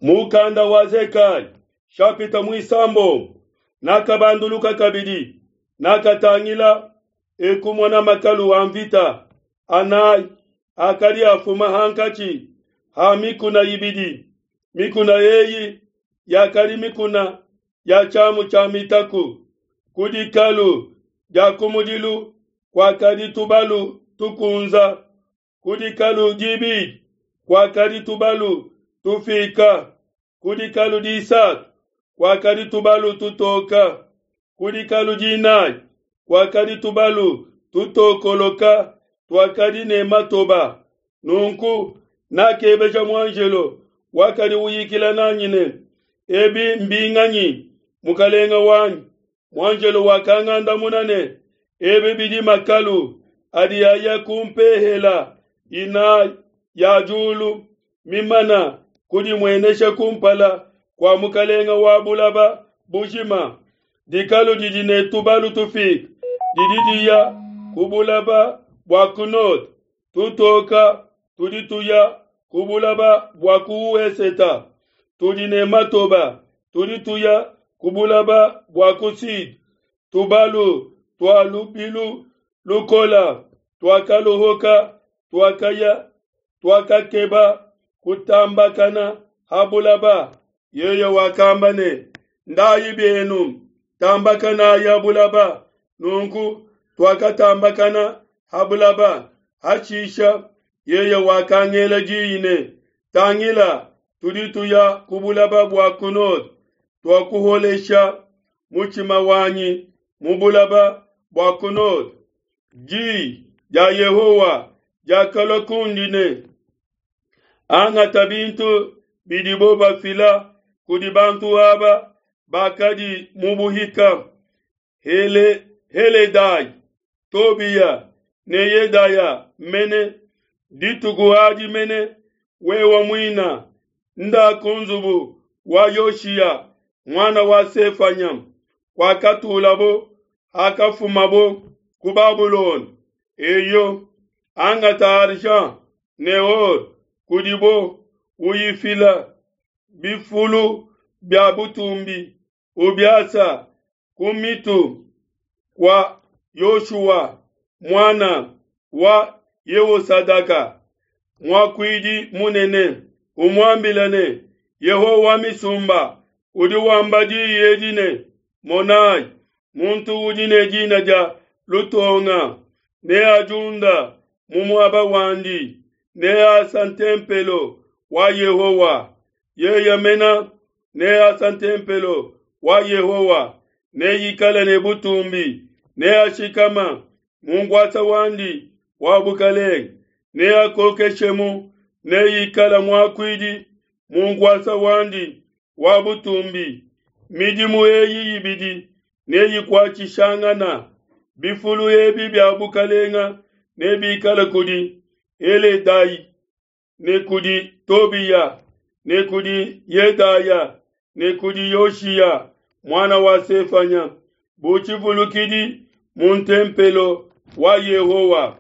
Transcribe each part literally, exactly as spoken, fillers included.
Mukanda wa Zekaya shapita muisambombo nakabanduluka kabidi nakatangila ekumona makalu a mvita anayi akadi afuma hankatshi ha mikuna ibidi. Mikuna eyi yakadi mikuna ya tshiamu tshia mitaku. Ku dikalu dia kumudilu kuakadi tubalu tukunza, ku dikalu dibidi kuakadi tubalu tufika, ku dikalu disatu kuakadi tubalu tutoka, ku dikalu dinayi kuakadi tubalu tutokoloka tuakadi ne matoba. Nunku nakebeja muanjelo wakadi uyikila nanyi ne, ebi mbinganyi, mukalenga wanyi? Muanjelo wakangandamuna ne, ebi bidi makalu adi aya ku mpehela inayi ya diulu mimana kudimuenesha kumpala kua mukalenga wa bulaba bujima. Dikalu didi ne tubalu tufika didi diya ku bulaba bua ku node, tutoka tudi tuya ku bulaba bua ku weseta, tudi ne matoba tudi tuya ku bulaba bua ku sud. Tubalu tua lubilu lukola tuakaluhuka tuakaya tuakakeba kutambakana ha bulaba. Yeye wakamba ne, ndayi bienu, tambakanayi bulaba. Nunku tuakatambakana ha bulaba. Hashisha yeye wakangela diyi ne, tangila, tudi tuya ku bulaba bua ku node, tuakuholesha mutshima wanyi mu bulaba bua ku node. Diyi dia Yehowa diakalua kundi ne, angata bintu bidibo bafila kudi bantu aba bakadi mu buhika, Hele, Heledai, Tobiya ne Yedaya mene dituku adi mene wewa muina nda ku nzubu wa Yoshiya mwana wa Sefanya kwakatulabo hakafumabo ku Babulona. Eyo angata argent ne or kudibo uyifila bifulu bia butumbi ubiasa ku mitu kwa Yoshua mwana wa Yehosadaka muakuidi munene, umuambila ne, Yehowa wa misumba udi wamba diyi edi ne, monayi, muntu udi ne dina dia Lutonga neadiunda mu muaba wandi, neasa ntempelo wa Yehowa. Yeye mena neasa ntempelo wa Yehowa, neikale ne butumbi, neashikama mu nkuasa wandi wa bukalenge, neakokeshemu, neikale muakuidi mu nkuasa wandi wa butumbi. Midimu eyi ibidi neyikuatshishangana. Bifulu ebi bia bukalenga nebikale kudi Heledai ne kudi Tobiya ne kudi Yedaya ne kudi Yoshiya mwana wa Sefanya bu tshivulukidi mu ntempelo wa Yehowa.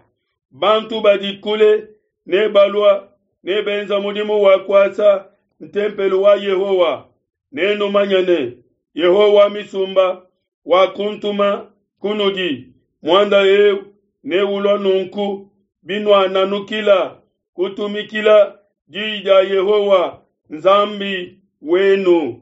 Bantu badi kule ne balua ne benza mudimu wa kuasa ntempelo wa Yehowa. Nenumanye ne, Yehowa misumba wakuntuma kunudi. Muanda eu neulua nunku binuananukila kutumikila diyi dia Yehowa Nzambi wenu.